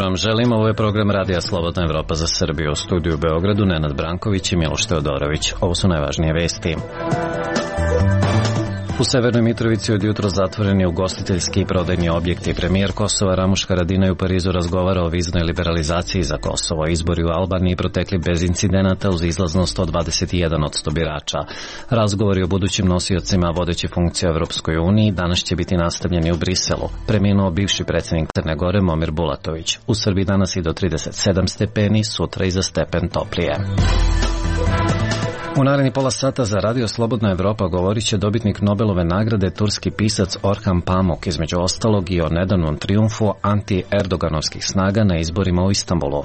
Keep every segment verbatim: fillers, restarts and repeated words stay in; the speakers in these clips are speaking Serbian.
vam želim. Ovo je program Radija Slobodna Evropa za Srbiju. U studiju u Beogradu Nenad Branković i Miloš Teodorović. Ovo su najvažnije vesti. U Severnoj Mitrovici od jutro zatvoreni ugostiteljski i prodajni objekti. Premijer Kosova Ramuš Haradinaj u Parizu razgovara o viznoj liberalizaciji za Kosovo. Izbori u Albaniji protekli bez incidenata uz izlaznost od dvadeset jedan posto birača. Razgovori o budućim nosiocima vodećih funkcija u Evropskoj uniji danas će biti nastavljeni u Briselu. Preminuo bivši predsjednik Crne Gore Momir Bulatović. U Srbiji danas i do trideset sedam stepeni, sutra i za stepen toplije. U naredni pola sata za Radio Slobodna Evropa govorit će dobitnik Nobelove nagrade turski pisac Orhan Pamuk, između ostalog i o nedavnom trijumfu anti-erdoganovskih snaga na izborima u Istanbulu.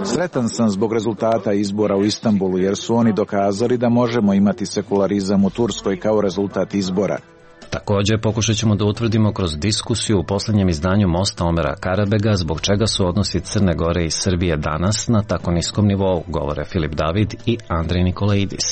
Sretan sam zbog rezultata izbora u Istanbulu jer su oni dokazali da možemo imati sekularizam u Turskoj kao rezultat izbora. Također pokušat ćemo da utvrdimo kroz diskusiju u posljednjem izdanju Mosta Omera Karabega zbog čega su odnosi Crne Gore i Srbije danas na tako niskom nivou, govore Filip David i Andrej Nikolaidis.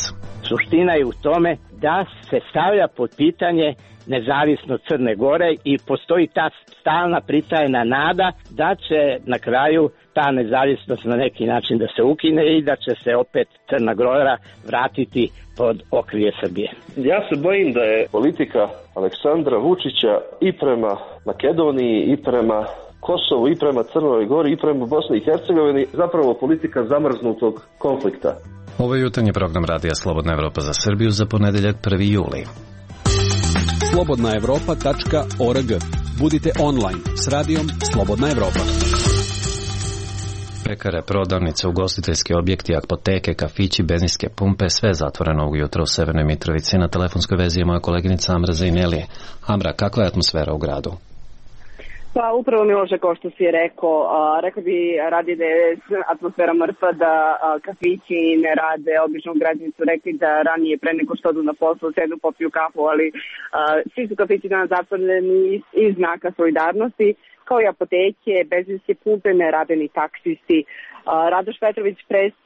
Suština je u tome da se stavlja pod pitanje nezavisnost Crne Gore i postoji ta stalna pritajna nada da će na kraju ta nezavisnost na neki način da se ukine i da će se opet Crna Gora vratiti pod okrilje Srbije. Ja se bojim da je politika Aleksandra Vučića i prema Makedoniji i prema Kosovu i prema Crnoj Gori i prema Bosni i Hercegovini zapravo politika zamrznutog konflikta. Ovo je jutarnji program Radija Slobodna Evropa za Srbiju za ponedeljak prvi juli. slobodna evropa tačka org. Budite online s radijom Slobodna Evropa. Pekare, prodavnice, ugostiteljski objekti, apoteke, kafići, benzinske pumpe, sve zatvoreno ovog jutra u Severnoj Mitrovici. Na telefonskoj vezi je moja koleginica Amra Zaineli. Amra, kakva je atmosfera u gradu? Pa upravo Miloše, kao što si je rekao, a, rekao bi radi da je atmosfera mrtva, da a, kafići ne rade. Obično građani su rekli da ranije pre nego što odu na posao sednu popiju kafu, ali a, svi su kafići danas zatvoreni iz, iz znaka solidarnosti, kao i apoteke, benzinske pumpe, ne rade ni taksisti. Radoš Petrović,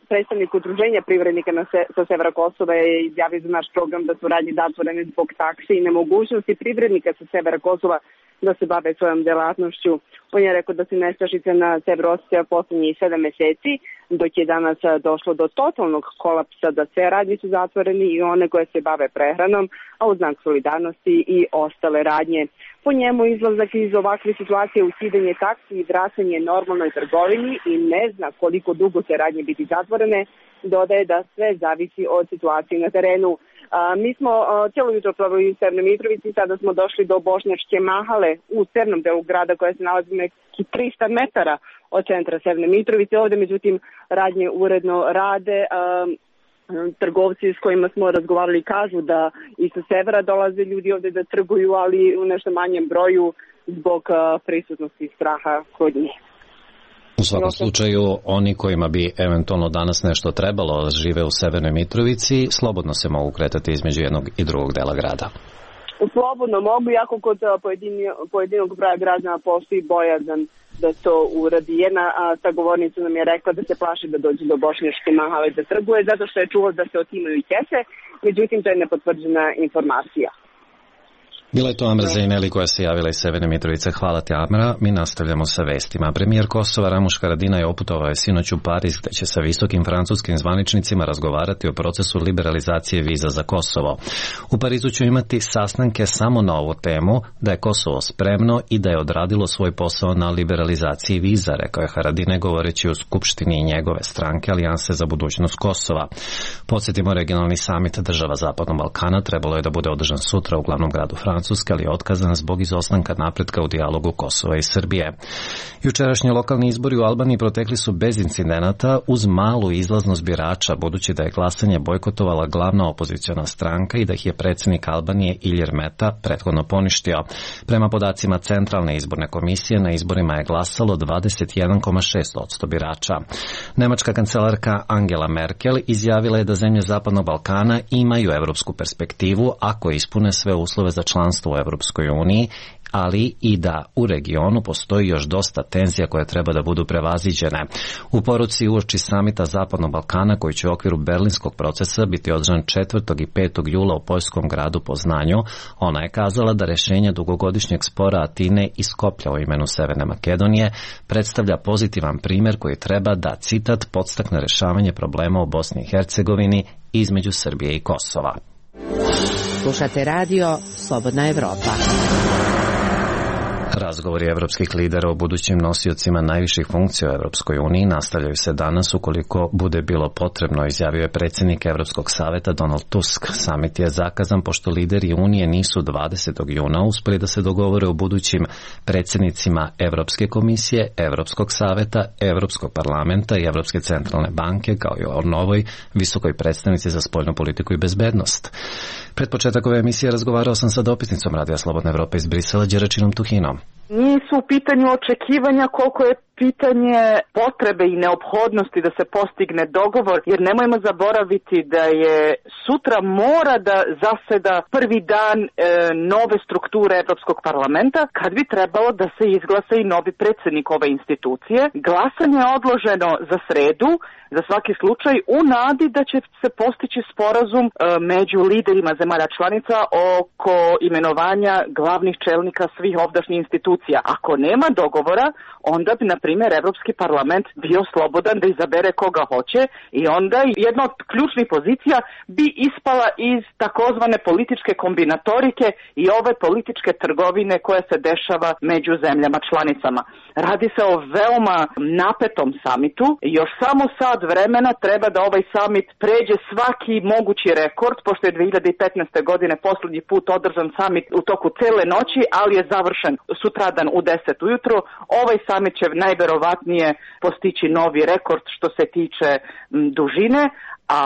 predstavnik udruženja privrednika na se, sa severa Kosova, je izjavio za naš program da su radnje zatvorene zbog taksi i nemogućnosti privrednika sa severa Kosova da se bave svojom delatnošću. On je rekao da se nestašica na severu osjeća poslednjih sedam meseci, dok je danas došlo do totalnog kolapsa, da sve radnje su zatvoreni i one koje se bave prehranom, a u znak solidarnosti i ostale radnje. Po njemu izlazak iz ovakve situacije, ukidanje taksi i vraćanje normalnoj trgovini i ne zna koliko dugo će radnje biti zatvorene, dodaje da sve zavisi od situacije na terenu. A, mi smo a, cijelo jutro proveli u Severnoj Mitrovici, sada smo došli do Bošnjačke mahale u severnom delu grada koja se nalazi neki tristo metara od centra Severne Mitrovice. Ovde međutim radnje uredno rade. A, trgovci s kojima smo razgovarali kažu da i sa severa dolaze ljudi ovde da trguju, ali u nešto manjem broju zbog a, prisutnosti straha kod njih. U svakom slučaju, oni kojima bi eventualno danas nešto trebalo žive u Severnoj Mitrovici, slobodno se mogu kretati između jednog i drugog dela grada. Slobodno mogu, jako kod pojedini, pojedinog broja građana postoji bojazan da to uradi. Jedna sagovornica nam je rekla da se plaši da dođe do Bošnjačke mahale da trguje, zato što je čuo da se otimaju kese, međutim to je nepotvrđena informacija. Bila je to Amra Zaineli koja se javila iz Severne Mitrovice. Hvala ti, Amra. Mi nastavljamo sa vestima. Premijer Kosova Ramuš Haradinaj oputovao je sinoć u Pariz, gde će sa visokim francuskim zvaničnicima razgovarati o procesu liberalizacije viza za Kosovo. U Parizu će imati sastanke samo na ovu temu, da je Kosovo spremno i da je odradilo svoj posao na liberalizaciji viza, rekao je Haradinaj govoreći u Skupštini i njegove stranke Alijanse za budućnost Kosova. Podsjetimo, regionalni samit država Zapadnog Balkana trebalo je da bude održan sutra u glavnom gradu Francuske, ali je otkazan zbog izostanka napretka u dijalogu Kosova i Srbije. Jučerašnji lokalni izbori u Albaniji protekli su bez incidenata uz malu izlaznost birača, budući da je glasanje bojkotovala glavna opoziciona stranka i da ih je predsjednik Albanije Ilir Meta prethodno poništio. Prema podacima Centralne izborne komisije, na izborima je glasalo dvadeset jedan zarez šest posto birača. Nemačka kancelarka Angela Merkel izjavila je da zemlje Zapadnog Balkana imaju evropsku perspektivu ako ispune sve uslove za članstvo u Evropskoj uniji, ali i da u regionu postoji još dosta tenzija koje treba da budu prevaziđene. U poruci uoči samita Zapadnog Balkana koji će u okviru berlinskog procesa biti održan četvrtog i petog jula u poljskom gradu Poznanju, ona je kazala da rešenje dugogodišnjeg spora Atine i Skoplja o imenu Severne Makedonije predstavlja pozitivan primjer koji treba da, citat, podstakne rešavanje problema u Bosni i Hercegovini između Srbije i Kosova. Slušate radio Slobodna Evropa. Razgovori evropskih lidera o budućim nosiocima najviših funkcija u Evropskoj uniji nastavljaju se danas ukoliko bude bilo potrebno, izjavio je predsjednik Evropskog saveta Donald Tusk. Samit je zakazan pošto lideri Unije nisu dvadesetog juna uspeli da se dogovore o budućim predsjednicima Evropske komisije, Evropskog saveta, Evropskog parlamenta i Evropske centralne banke, kao i o novoj visokoj predstavnici za spoljnu politiku i bezbednost. Pred početak ove emisije razgovarao sam sa dopisnicom Radija Slobodna Evropa iz Brisela, Đeračinom Tuhinom. Nisu u pitanju očekivanja koliko je pitanje potrebe i neophodnosti da se postigne dogovor, jer nemojmo zaboraviti da je sutra mora da zaseda prvi dan e, nove strukture Evropskog parlamenta, kad bi trebalo da se izglasa i novi predsjednik ove institucije. Glasanje je odloženo za sredu, za svaki slučaj, u nadi da će se postići sporazum e, među liderima zemalja članica oko imenovanja glavnih čelnika svih ovdašnjih institucija. Ako nema dogovora, onda bi, na primjer, Evropski parlament bio slobodan da izabere koga hoće i onda jedna od ključnih pozicija bi ispala iz takozvane političke kombinatorike i ove političke trgovine koja se dešava među zemljama članicama. Radi se o veoma napetom samitu. Još samo sad vremena treba da ovaj samit pređe svaki mogući rekord, pošto je dve hiljade petnaeste. godine posljednji put održan samit u toku cele noći, ali je završen sutradan u deset ujutro. Ovaj samit će najverovatnije postići novi rekord što se tiče m, dužine, a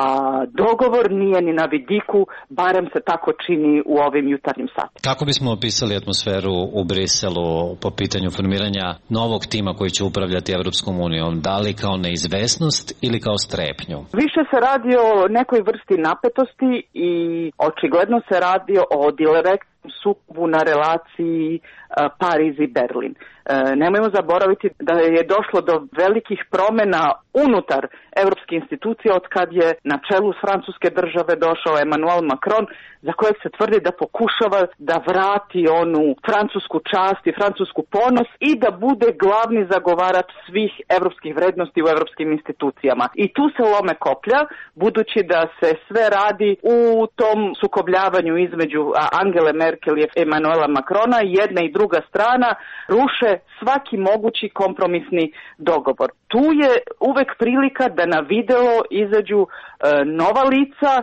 dogovor nije ni na vidiku, barem se tako čini u ovim jutarnjim satima. Kako bismo opisali atmosferu u Briselu po pitanju formiranja novog tima koji će upravljati Evropskom unijom? Da li kao neizvesnost ili kao strepnju? Više se radi o nekoj vrsti napetosti i očigledno se radi o direktnom sukobu na relaciji Pariz i Berlin. E, nemojmo zaboraviti da je došlo do velikih promjena unutar evropske institucije od kad je na čelu s francuske države došao Emmanuel Macron, za kojeg se tvrdi da pokušava da vrati onu francusku čast i francusku ponos i da bude glavni zagovarač svih evropskih vrednosti u evropskim institucijama. I tu se lome koplja, budući da se sve radi u tom sukobljavanju između Angele Merkel i Emmanuela Macrona, jedna i druga strana ruše svaki mogući kompromisni dogovor. Tu je uvek prilika da na video izađu e, nova lica,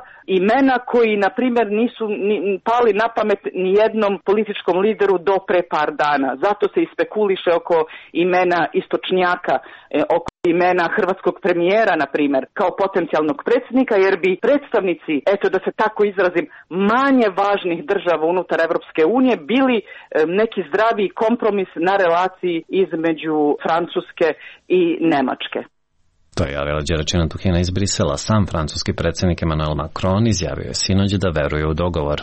imena koji, na primjer, nisu ni, pali na pamet ni jednom političkom lideru do pre par dana. Zato se i spekuliše oko imena istočnjaka, e, oko imena hrvatskog premijera, na primjer, kao potencijalnog predsjednika, jer bi predstavnici, eto da se tako izrazim, manje važnih država unutar Evropske unije bili e, neki zdravi kompromis na relaciji između Francuske i Nemačke. To je javila Đeračina Tuhina iz Brisela. Sam francuski predsjednik Emmanuel Macron izjavio je sinoć da veruje u dogovor.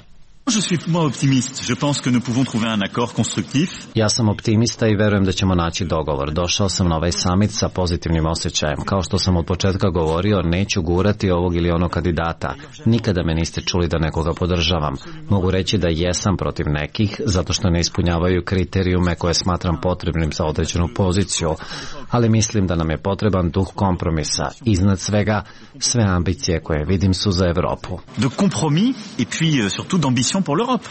Je suis moi optimiste. Je pense que nous pouvons trouver un accord constructif. Ja sam optimista i verujem da ćemo naći dogovor. Došao sam na ovaj samit sa pozitivnim osjećajem. Kao što sam od početka govorio, neću gurati ovog ili onog kandidata. Nikada me niste čuli da nekoga podržavam. Mogu reći da jesam protiv nekih, zato što ne ispunjavaju kriterijume koje smatram potrebnim za određenu poziciju. Ali mislim da nam je potreban duh kompromisa. Iznad svega, sve ambicije koje vidim su za Evropu. De compromis et puis surtout d'ambition pour l'Europe.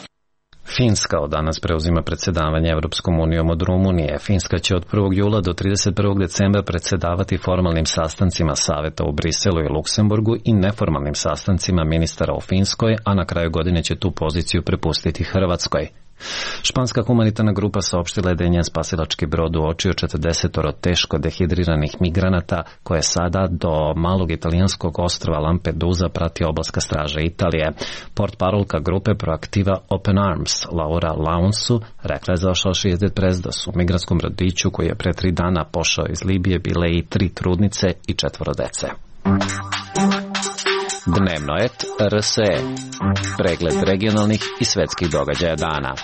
Finska od danas preuzima predsjedavanje Evropskom unijom od Rumunije. Finska će od prvog jula do trideset prvog decembra predsjedavati formalnim sastancima Saveta u Briselu i Luksemburgu i neformalnim sastancima ministara u Finskoj, a na kraju godine će tu poziciju prepustiti Hrvatskoj. Španska humanitarna grupa saopštila je da je njen spasilački brod uočio četrdesetoro teško dehidriranih migranata koje sada do malog italijanskog ostrva Lampedusa prati obalska straža Italije. Portparolka grupe Proaktiva Open Arms, Laura Launsu, rekla je za Associated Press da su u migranskom brodiću koji je pre tri dana pošao iz Libije bile i tri trudnice i četvoro dece. Dnevnoet R S E. Pregled regionalnih i svetskih događaja dana.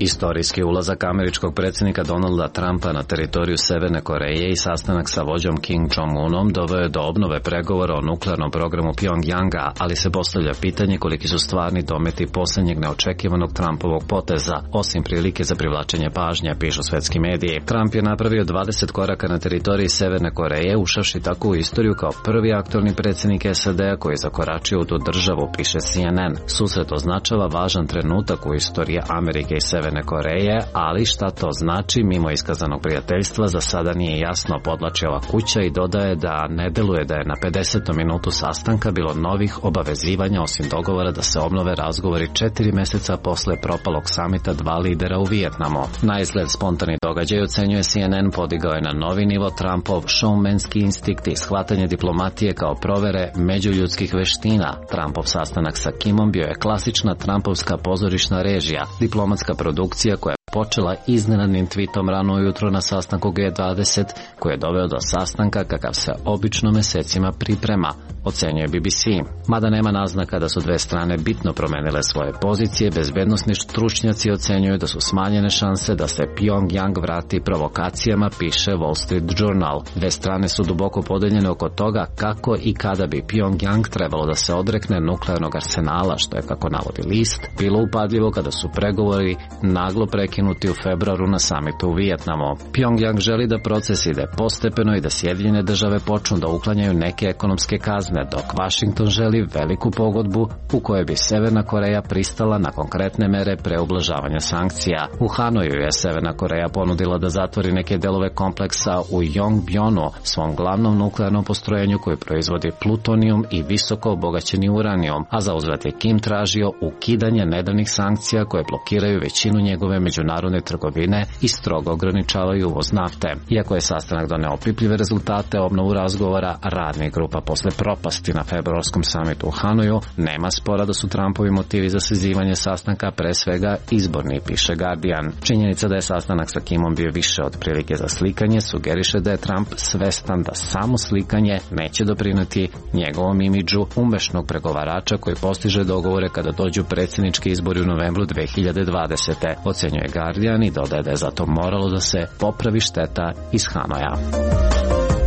Istorijski ulazak američkog predsjednika Donalda Trumpa na teritoriju Severne Koreje i sastanak sa vođom Kim Jong-unom doveo je do obnove pregovora o nuklearnom programu Pjongjanga, ali se postavlja pitanje koliki su stvarni dometi posljednjeg neočekivanog Trumpovog poteza, osim prilike za privlačenje pažnje, pišu svetski mediji. Trump je napravio dvadeset koraka na teritoriji Severne Koreje, ušavši tako u istoriju kao prvi aktualni predsjednik S A D-a koji je zakoračio u tu državu, piše C N N. Susret označava važan trenutak u istoriji Amerike i Severne Koreje, ali šta to znači mimo iskazanog prijateljstva za sada nije jasno, podlači ova kuća i dodaje da ne deluje da je na pedesetom minutu sastanka bilo novih obavezivanja osim dogovora da se obnove razgovori četiri meseca posle propalog samita dva lidera u Vijetnamu. Na izgled spontani događaj, ocenjuje C N N, podigao je na novi nivo Trumpov showmanski instinkt i shvatanje diplomatije kao provere međuljudskih veština. Trumpov sastanak sa Kimom bio je klasična Trumpovska pozorišna režija, diplomatska produkcija koja počela iznenadnim tweetom rano ujutro na sastanku G dvadeset, koji je doveo do sastanka kakav se obično mesecima priprema, ocenjuje B B C. Mada nema naznaka da su dve strane bitno promenile svoje pozicije, bezbednosni stručnjaci ocenjuju da su smanjene šanse da se Pjongjang vrati provokacijama, piše Wall Street Journal. Dve strane su duboko podeljene oko toga kako i kada bi Pjongjang trebalo da se odrekne nuklearnog arsenala, što je, kako navodi list, bilo upadljivo kada su pregovori naglo prekinuti u februaru na samitu u Vijetnamu. Pjongjang želi da proces ide postepeno i da Sjedinjene države počnu da uklanjaju neke ekonomske kazne, dok Washington želi veliku pogodbu u kojoj bi Severna Koreja pristala na konkretne mere pre ublažavanja sankcija. U Hanoju je Severna Koreja ponudila da zatvori neke delove kompleksa u Yongbjonu, svom glavnom nuklearnom postrojenju koji proizvodi plutonijum i visoko obogaćeni uranijum, a za uzvrat je Kim tražio ukidanje nedavnih sankcija koje blokiraju većinu njegove međunarodne trgovine i strogo ograničavaju uvoz nafte. Iako je sastanak doneo opipljive rezultate, obnovu razgovora radnih grupa posle propasti na februarskom samitu u Hanoju, nema spora da su Trumpovi motivi za sazivanje sastanka pre svega izborni, piše Guardian. Činjenica da je sastanak sa Kimom bio više od prilike za slikanje sugeriše da je Trump svestan da samo slikanje neće doprineti njegovom imidžu umešnog pregovarača koji postiže dogovore kada dođu predsjednički izbori u novembru dve hiljade dvadesete. Ocenjuje Guardian i dodaje da je zato moralo da se popravi šteta iz Hanoja.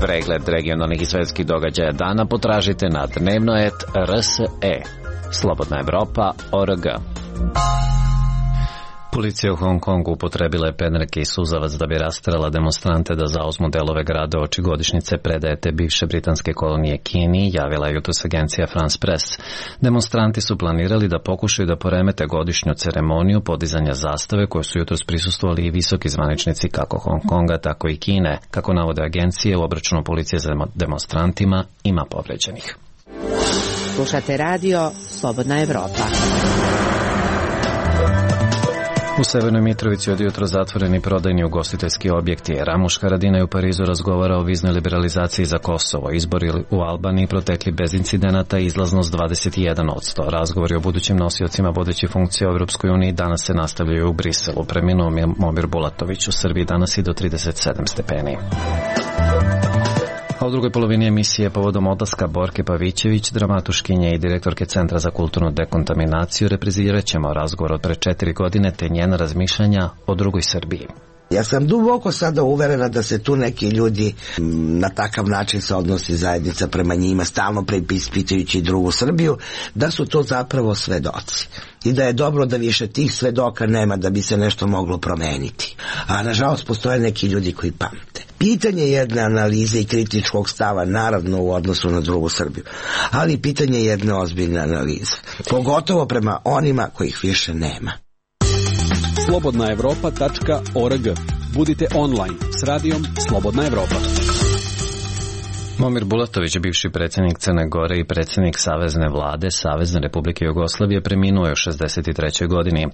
Pregled regionalnih i svetskih događaja dana potražite na dnevnoet R S E. Slobodna Evropa, O R G. Policija u Hong Kongu upotrebila je pendreke i suzavac da bi rasterala demonstrante da zauzmu delove grada oči godišnjice predaje te bivše britanske kolonije Kini, javila je jutros agencija France Press. Demonstranti su planirali da pokušaju da poremete godišnju ceremoniju podizanja zastave koje su jutros prisustvovali i visoki zvaničnici kako Hong Konga, tako i Kine. Kako navode agencije, u obračunu policije za demonstrantima ima povređenih. Slušate radio Slobodna Evropa. U Severnoj Mitrovici od jutro zatvoreni prodajni ugostiteljski objekti. Ramuš Haradinaj u Parizu razgovara o viznoj liberalizaciji za Kosovo. Izbori u Albaniji protekli bez incidenata, izlaznost dvadeset jedan posto. Razgovori o budućim nosiocima vodećih funkcija u Europskoj uniji danas se nastavljaju u Briselu. Preminuo Momir Bulatović. U Srbiji danas i do trideset sedam stepeni. A u drugoj polovini emisije povodom odlaska Borke Pavićević, dramatuškinje i direktorke Centra za kulturnu dekontaminaciju, reprizirat ćemo razgovor od pre četiri godine te njena razmišljanja o drugoj Srbiji. Ja sam duboko sada uverena da se tu neki ljudi na takav način se odnosi zajednica prema njima, stalno preispitujući drugu Srbiju, da su to zapravo svedoci. I da je dobro da više tih svedoka nema da bi se nešto moglo promeniti. A nažalost postoje neki ljudi koji pamte. Pitanje jedne analize i kritičkog stava, naravno u odnosu na drugu Srbiju, ali pitanje jedne ozbiljne analize. Pogotovo prema onima kojih više nema. slobodna evropa tačka org. Budite online s radijom Slobodna Evropa. Momir Bulatović, bivši predsjednik Crne Gore i predsjednik Savezne vlade Savezne Republike Jugoslavije, preminuo je u šezdeset trećoj godini.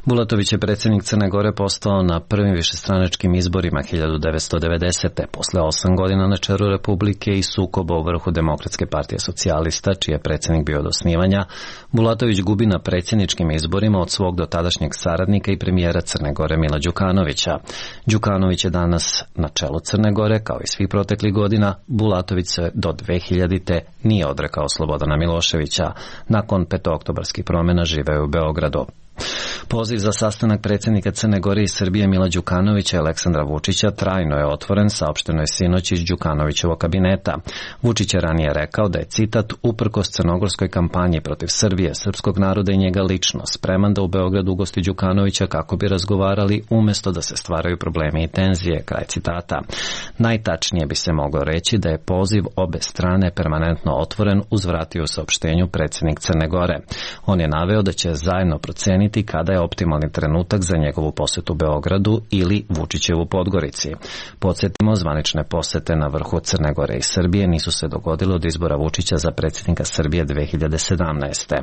Bulatović je predsjednik Crne Gore postao na prvim višestranačkim izborima hiljadu devetsto devedesete. Posle osam godina na čelu Republike i sukoba u vrhu Demokratske partije socijalista, čiji je predsjednik bio od osnivanja, Bulatović gubi na predsjedničkim izborima od svog dotadašnjeg saradnika i premijera Crne Gore Mila Đukanovića. Đukanović je danas na čelu Crne Gore, kao i svih proteklih godina. Bulatović se do dve hiljadite nije odrekao Slobodana Miloševića. Nakon petooktobarskih promjena živeo u Beogradu. Poziv za sastanak predsjednika Crne Gore i Srbije Mila Đukanovića i Aleksandra Vučića trajno je otvoren, saopšteno je sinoć iz Đukanovićevog kabineta. Vučić je ranije rekao da je, citat, uprkos crnogorskoj kampanji protiv Srbije, srpskog naroda i njega lično, spreman da u Beogradu ugosti Đukanovića kako bi razgovarali umjesto da se stvaraju problemi i tenzije, kraj citata. Najtačnije bi se moglo reći da je poziv obe strane permanentno otvoren, uzvratio u saopštenju predsjednik Crne Gore. On je naveo da će zajedno proceniti kada je optimalni trenutak za njegovu posetu Beogradu ili Vučićevu Podgorici. Podsjetimo, zvanične posete na vrhu Crne Gore i Srbije nisu se dogodile od izbora Vučića za predsjednika Srbije dve hiljade sedamnaeste.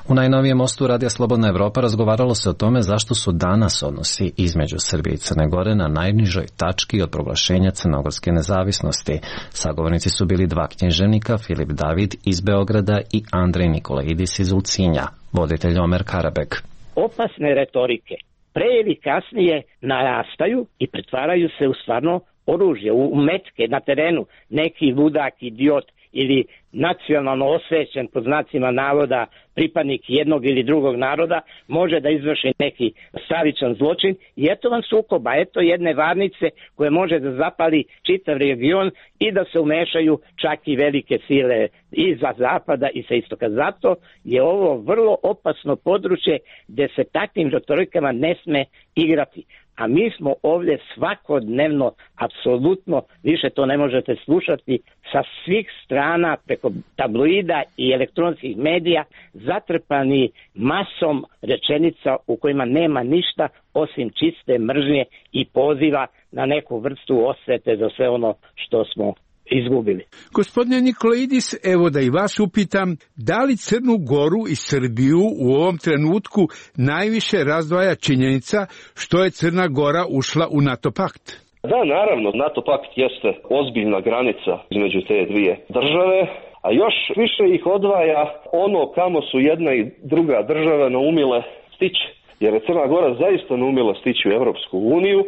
U najnovijem mostu Radija Slobodna Evropa razgovaralo se o tome zašto su danas odnosi između Srbije i Crne Gore na najnižoj tački od proglašenja crnogorske nezavisnosti. Sagovornici su bili dva književnika, Filip David iz Beograda i Andrej Nikolaidis iz Ulcinja, voditelj Omer Karabek. Opasne retorike pre ili kasnije narastaju i pretvaraju se u stvarno oružje, u metke na terenu. Neki ludak, idiot ili nacionalno osvećen, pod znacima navoda, pripadnik jednog ili drugog naroda može da izvrši neki stravičan zločin i eto vam sukoba, eto jedne varnice koje može da zapali čitav region i da se umešaju čak i velike sile iza zapada i sa istoka. Zato je ovo vrlo opasno područje gde se takvim retorikama ne sme igrati. A mi smo ovdje svakodnevno, apsolutno, više to ne možete slušati, sa svih strana, preko tabloida i elektronskih medija, zatrpani masom rečenica u kojima nema ništa osim čiste mržnje i poziva na neku vrstu osvete za sve ono što smo izgubili. Gospodine Nikolaidis, evo da i vas upitam, da li Crnu Goru i Srbiju u ovom trenutku najviše razdvaja činjenica što je Crna Gora ušla u NATO pakt? Da, naravno, NATO pakt jeste ozbiljna granica između te dvije države, a još više ih odvaja ono kamo su jedna i druga država naumile stići. Jer je Crna Gora zaista naumila stići u Evropsku uniju,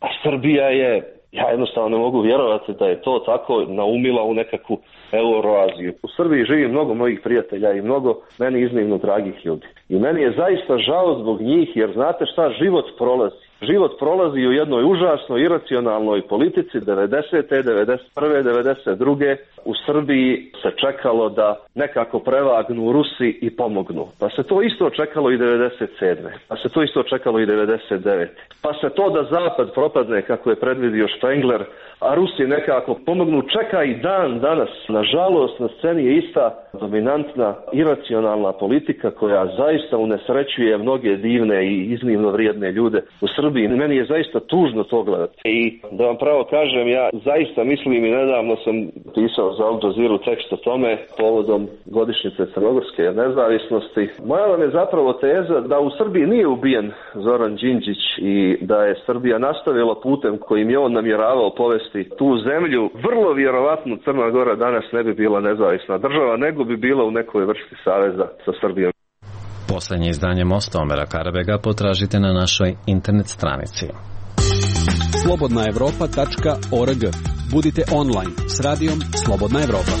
a Srbija je, ja jednostavno ne mogu vjerovati da je to tako naumila u nekakvu Euroaziju. U Srbiji živi mnogo mojih prijatelja i mnogo meni iznimno dragih ljudi. I meni je zaista žao zbog njih, jer znate šta, život prolazi. Život prolazi u jednoj užasnoj iracionalnoj politici devedesete, devedeset prve, devedeset druge u Srbiji se čekalo da nekako prevagnu Rusi i pomognu. Pa se to isto čekalo i devedeset sedme. Pa se to isto čekalo i devedeset devete. Pa se to da Zapad propadne kako je predvidio Spengler, a Rusi nekako pomognu, čeka i dan danas. Nažalost, na sceni je ista dominantna iracionalna politika koja zaista unesrećuje mnoge divne i iznimno vrijedne ljude u Srbiji. Meni je zaista tužno to gledati. I da vam pravo kažem, ja zaista mislim i nedavno sam pisao za Al Jazeera tekst o tome povodom godišnjice crnogorske nezavisnosti. Moja vam je zapravo teza da u Srbiji nije ubijen Zoran Đinđić i da je Srbija nastavila putem kojim je on namjeravao povesti tu zemlju. Vrlo vjerovatno Crna Gora danas ne bi bila nezavisna država, nego bi bila u nekoj vrsti saveza sa Srbijom. Poslednje izdanje Mosta Omera Karabega potražite na našoj internet stranici. slobodna evropa tačka org. Budite online s radijom Slobodna Evropa.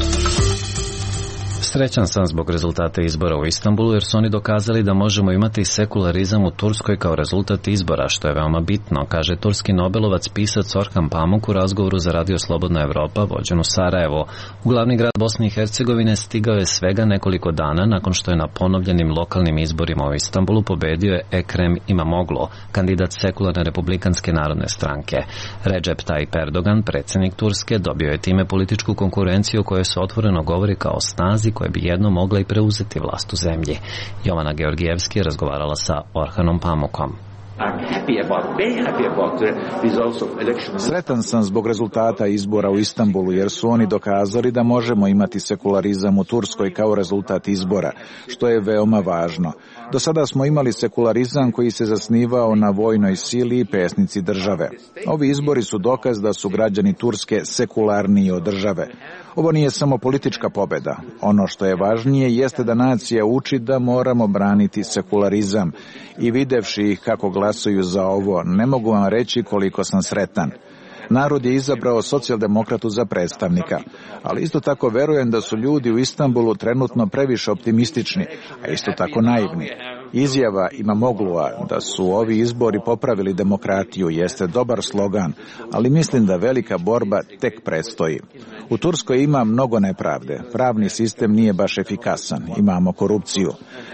Srećan sam zbog rezultata izbora u Istanbulu jer su oni dokazali da možemo imati sekularizam u Turskoj kao rezultat izbora, što je veoma bitno, kaže turski nobelovac pisac Orhan Pamuk u razgovoru za Radio Slobodna Evropa vođen u Sarajevo. U glavni grad Bosne i Hercegovine stigao je svega nekoliko dana nakon što je na ponovljenim lokalnim izborima u Istanbulu pobedio je Ekrem Imamoglu, kandidat sekularne republikanske narodne stranke. Recep Tayyip Erdogan, predsjednik Turske, dobio je time političku konkurenciju o kojoj se otvoreno govori kao o snazi koje bi jedno mogla i preuzeti vlast u zemlji. Jovana Georgijevski je razgovarala sa Orhanom Pamukom. Sretan sam zbog rezultata izbora u Istanbulu jer su oni dokazali da možemo imati sekularizam u Turskoj kao rezultat izbora, što je veoma važno. Do sada smo imali sekularizam koji se zasnivao na vojnoj sili i pesnici države. Ovi izbori su dokaz da su građani Turske sekularniji od države. Ovo nije samo politička pobeda. Ono što je važnije jeste da nacija uči da moramo braniti sekularizam i videvši ih kako glasuju za ovo, ne mogu vam reći koliko sam sretan. Narod je izabrao socijaldemokratu za predstavnika, ali isto tako verujem da su ljudi u Istanbulu trenutno previše optimistični, a isto tako naivni. Izjava Imamoglua da su ovi izbori popravili demokratiju jeste dobar slogan, ali mislim da velika borba tek predstoji. U Turskoj ima mnogo nepravde, pravni sistem nije baš efikasan, imamo korupciju.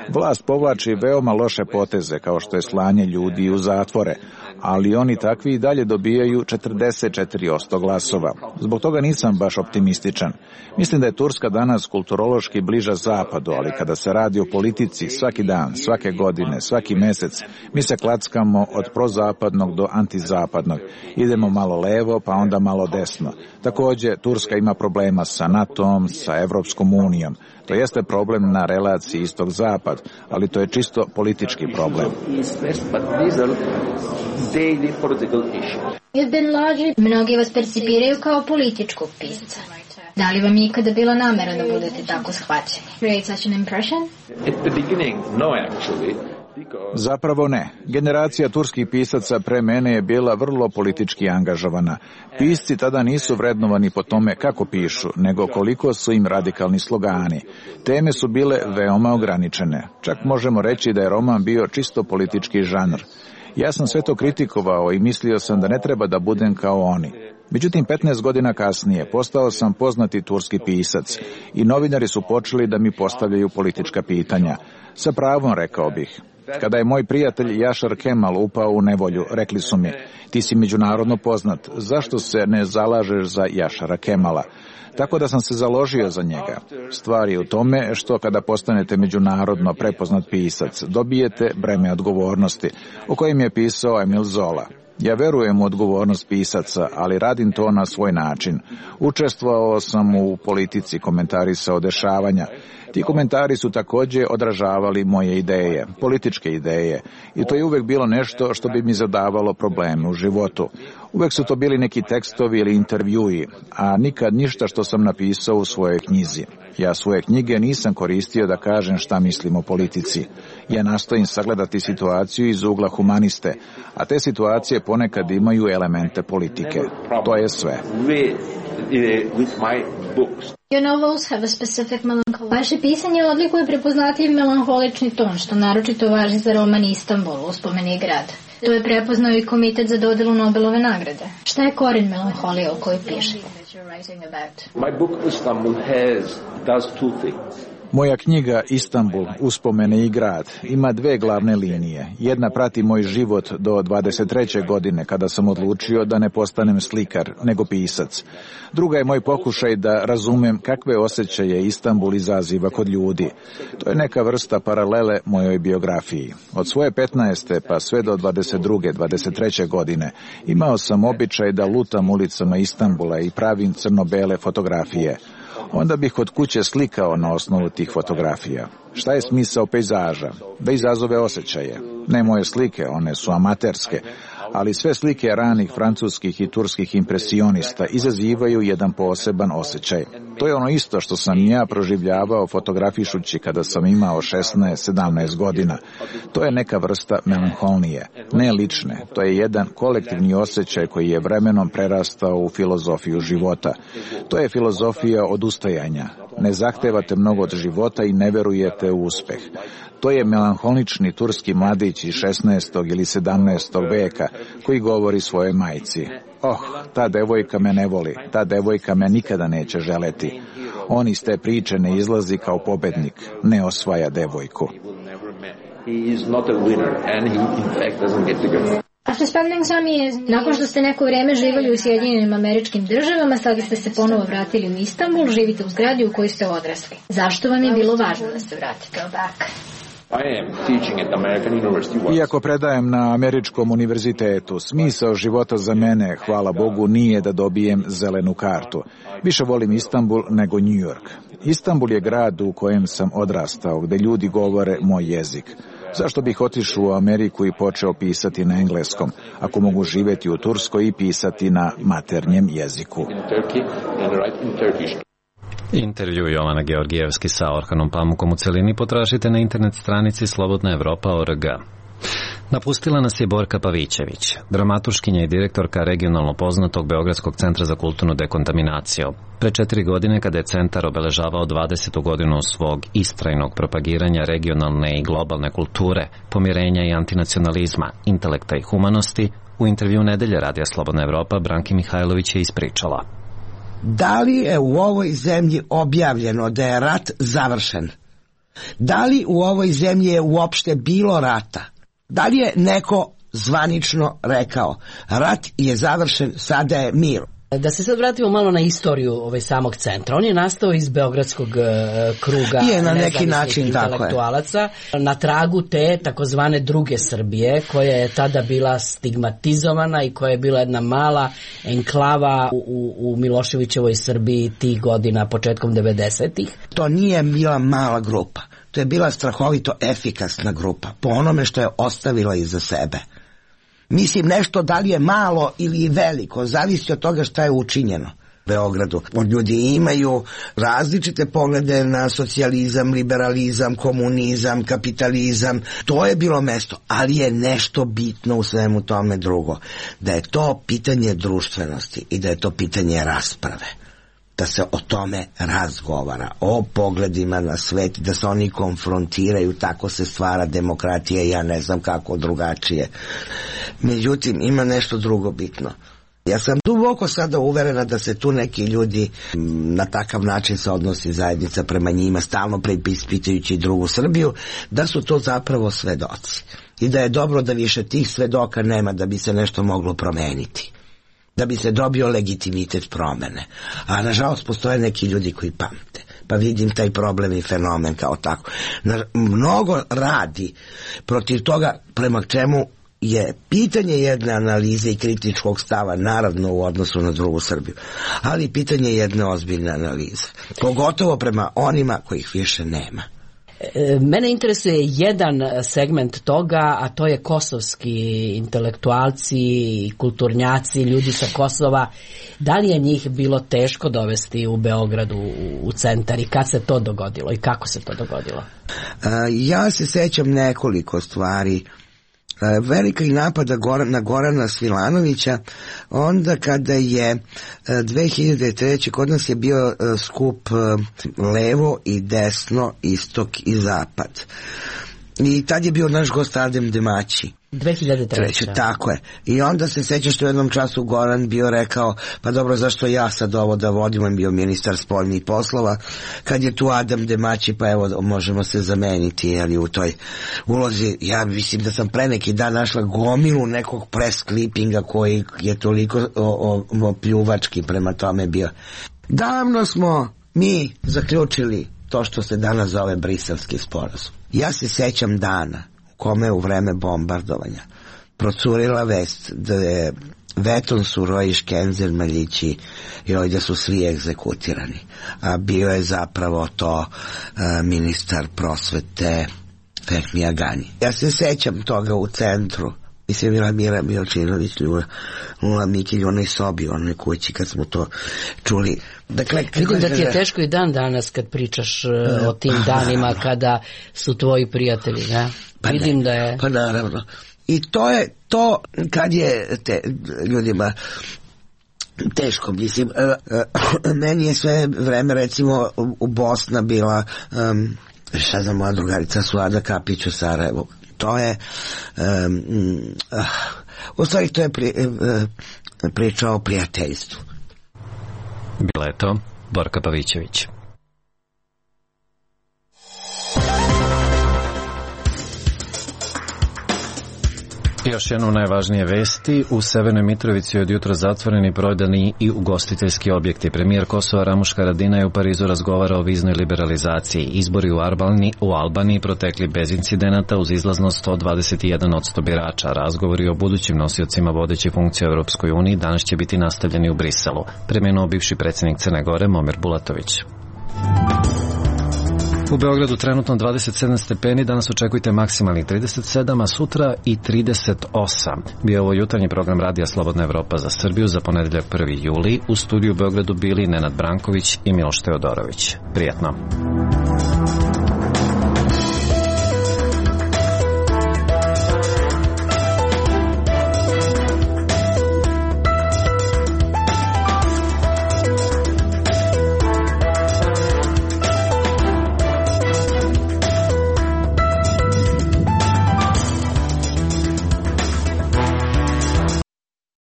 Vlast povlači veoma loše poteze kao što je slanje ljudi u zatvore, ali oni takvi i dalje dobijaju četrdeset četiri posto glasova. Zbog toga nisam baš optimističan. Mislim da je Turska danas kulturološki bliža zapadu, ali kada se radi o politici svaki dan, svake godine, svaki mesec, mi se klackamo od prozapadnog do antizapadnog. Idemo malo levo, pa onda malo desno. Takođe, Turska ima problema sa NATO-om, sa Evropskom unijom. To jeste problem na relaciji istog-zapad, ali to je čisto politički problem. Ibn Lađi, mnogi vas percipiraju kao političkog pisca. Da li vam je ikada bila namera da budete tako shvaćeni? Create such an impression? At the beginning, no actually. Zapravo ne. Generacija turskih pisaca pre mene je bila vrlo politički angažovana. Pisci tada nisu vrednovani po tome kako pišu, nego koliko su im radikalni slogani. Teme su bile veoma ograničene. Čak možemo reći da je roman bio čisto politički žanr. Ja sam sve to kritikovao i mislio sam da ne treba da budem kao oni. Međutim, petnaest godina kasnije postao sam poznati turski pisac i novinari su počeli da mi postavljaju politička pitanja. Sa pravom, rekao bih. Kada je moj prijatelj Jašar Kemal upao u nevolju, rekli su mi, ti si međunarodno poznat, zašto se ne zalažeš za Jašara Kemala? Tako da sam se založio za njega. Stvar je u tome što kada postanete međunarodno prepoznat pisac, dobijete breme odgovornosti, o kojem je pisao Emil Zola. Ja verujem u odgovornost pisaca, ali radim to na svoj način. Učestvovao sam u politici, komentarisao dešavanja. Ti komentari su takođe odražavali moje ideje, političke ideje, i to je uvek bilo nešto što bi mi zadavalo probleme u životu. Uvek su to bili neki tekstovi ili intervjui, a nikad ništa što sam napisao u svojoj knjizi. Ja svoje knjige nisam koristio da kažem šta mislim o politici. Ja nastojim sagledati situaciju iz ugla humaniste, a te situacije ponekad imaju elemente politike. To je sve. Your novels have a specific melancholy. Vaše pisanje odlikuje prepoznatljiv melanholični ton, što naročito važi za roman Istanbul, uspomeni grad. To je prepoznao i Komitet za dodelu Nobelove nagrade. Šta je koren melanholije o kojoj pišete? My book Istanbul has does two things. Moja knjiga Istanbul, uspomene i grad, ima dve glavne linije. Jedna prati moj život do dvadeset treće godine, kada sam odlučio da ne postanem slikar, nego pisac. Druga je moj pokušaj da razumem kakve osjećaje Istanbul izaziva kod ljudi. To je neka vrsta paralele mojoj biografiji. Od svoje petnaeste pa sve do dvadeset druge, dvadeset treće godine imao sam običaj da lutam ulicama Istanbula i pravim crno-bele fotografije. Onda bih kod kuće slikao na osnovu tih fotografija. Šta je smisao pejzaža? Da izazove osjećaje. Ne moje slike, one su amaterske, ali sve slike ranih francuskih i turskih impresionista izazivaju jedan poseban osjećaj. To je ono isto što sam ja proživljavao fotografišući kada sam imao šesnaest sedamnaest godina. To je neka vrsta melanholije, ne lične. To je jedan kolektivni osjećaj koji je vremenom prerastao u filozofiju života. To je filozofija odustajanja. Ne zahtevate mnogo od života i ne verujete u uspeh. To je melanholični turski mladić iz šesnaestog ili sedamnaestog veka koji govori svojoj majci: oh, ta devojka me ne voli, ta devojka me nikada neće želeti. On iz te priče ne izlazi kao pobednik, ne osvaja devojku. After spending some years, nakon što ste neko vrijeme živjeli u Sjedinjenim Američkim Državama, sada ste se ponovo vratili u Istanbul, živite u zgradi u kojoj ste odrasli. Zašto vam je bilo važno da se vratite? Go back. Iako predajem na Američkom univerzitetu, smisao života za mene, hvala Bogu, nije da dobijem zelenu kartu. Više volim Istanbul nego New York. Istanbul je grad u kojem sam odrastao, gde ljudi govore moj jezik. Zašto bih otišao u Ameriku i počeo pisati na engleskom, ako mogu živjeti u Turskoj i pisati na maternjem jeziku? Intervju Jovana Georgijevski sa Orhanom Pamukom u celini potražite na internet stranici slobodna evropa tačka org. Napustila nas je Borka Pavićević, dramaturškinja i direktorka regionalno poznatog Beogradskog centra za kulturnu dekontaminaciju. Pre četiri godine, kada je centar obeležavao dvadesetu godinu svog istrajnog propagiranja regionalne i globalne kulture, pomirenja i antinacionalizma, intelekta i humanosti, u intervju Nedelje Radija Slobodna Evropa Branki Mihajlović je ispričala. Da li je u ovoj zemlji objavljeno da je rat završen? Da li u ovoj zemlji je uopšte bilo rata? Da li je neko zvanično rekao rat je završen, sada je mir? Da se sad vratimo malo na istoriju ovaj samog centra. On je nastao iz Beogradskog uh, kruga je na neki način intelektualaca na tragu te takozvane druge Srbije, koja je tada bila stigmatizovana i koja je bila jedna mala enklava u, u, u Miloševićevoj Srbiji tih godina, početkom devedesetih. To nije bila mala grupa. To je bila strahovito efikasna grupa po onome što je ostavila iza sebe. Mislim, nešto da li je malo ili veliko, zavisi od toga šta je učinjeno u Beogradu. Ljudi imaju različite poglede na socijalizam, liberalizam, komunizam, kapitalizam. To je bilo mesto, ali je nešto bitno u svemu tome drugo. Da je to pitanje društvenosti i da je to pitanje rasprave. Da se o tome razgovara, o pogledima na svet, da se oni konfrontiraju, tako se stvara demokratija i ja ne znam kako drugačije. Međutim, ima nešto drugo bitno. Ja sam duboko sada uverena da se tu neki ljudi na takav način se odnosi zajednica prema njima, stalno preispitajući drugu Srbiju, da su to zapravo svedoci. I da je dobro da više tih svedoka nema da bi se nešto moglo promeniti, da bi se dobio legitimitet promene. A nažalost postoje neki ljudi koji pamte. Pa vidim taj problem i fenomen kao tako. Mnogo radi protiv toga prema čemu je pitanje jedne analize i kritičkog stava, naravno u odnosu na drugu Srbiju, ali pitanje jedne ozbiljne analize. Pogotovo prema onima kojih više nema. Mene interesuje jedan segment toga, a to je kosovski intelektualci i kulturnjaci, ljudi sa Kosova. Da li je njih bilo teško dovesti u Beogradu u centar i kad se to dogodilo i kako se to dogodilo? Ja se sećam nekoliko stvari. Velika i napada na Gorana Svilanovića, onda kada je dve hiljade treće kod nas je bio skup levo i desno, istok i zapad. I tad je bio naš gost Adem Demaći. dve hiljade treće. Tako je. I onda se seća što u jednom času Goran bio rekao, pa dobro, zašto ja sad ovo da vodim, on bio ministar spoljnih poslova, kad je tu Adam Demaći, pa evo možemo se zameniti, ali u toj ulozi, ja mislim da sam pre neki dan našla gomilu nekog press clippinga koji je toliko o, o, o pljuvački prema tome bio. Davno smo mi zaključili to što se danas zove Briselski sporazum. Ja se sećam dana kome u vreme bombardovanja procurila vest da je Veton Surojiš, Kenzer Maljići i ovdje su svi egzekutirani. A bio je zapravo to a, ministar prosvete Fehmi Agani. Ja se sećam toga u centru. Mislim, bila Mira Milčinović, Lula Mikilj, onaj sobi, onaj kući, kad smo to čuli. Dakle, vidim da ti je teško i dan danas kad pričaš uh, o tim danima kada su tvoji prijatelji, ne? Pa vidim ne, da je... Pa naravno. I to je to kad je te ljudima teško, mislim. Uh, uh, meni je sve vreme, recimo, u, u Bosna bila, um, šta znam, moja drugarica Suada Kapić u Sarajevu. To je um, uh, u stvari to je pri, uh, priča o prijateljstvu. Bila je to Borka Pavićević. Još jedno najvažnije vesti. U Severnoj Mitrovici od jutra zatvoreni prodani i ugostiteljski objekti. Premijer Kosova Ramuš Haradinaj je u Parizu razgovarao o viznoj liberalizaciji. Izbori u Albaniji, u Albaniji protekli bez incidenata uz izlaznost sto dvadeset jedan posto birača. Razgovori o budućim nosiocima vodećih funkcija u Europskoj uniji danas će biti nastavljeni u Briselu. Preminuo bivši predsjednik Crne Gore Momir Bulatović. U Beogradu trenutno dvadeset sedam stepeni, danas očekujte maksimalnih trideset sedam, a sutra i trideset osam. Bio ovo jutarnji program Radija Slobodna Evropa za Srbiju za ponedeljak prvi juli. U studiju u Beogradu bili Nenad Branković i Miloš Teodorović. Prijatno.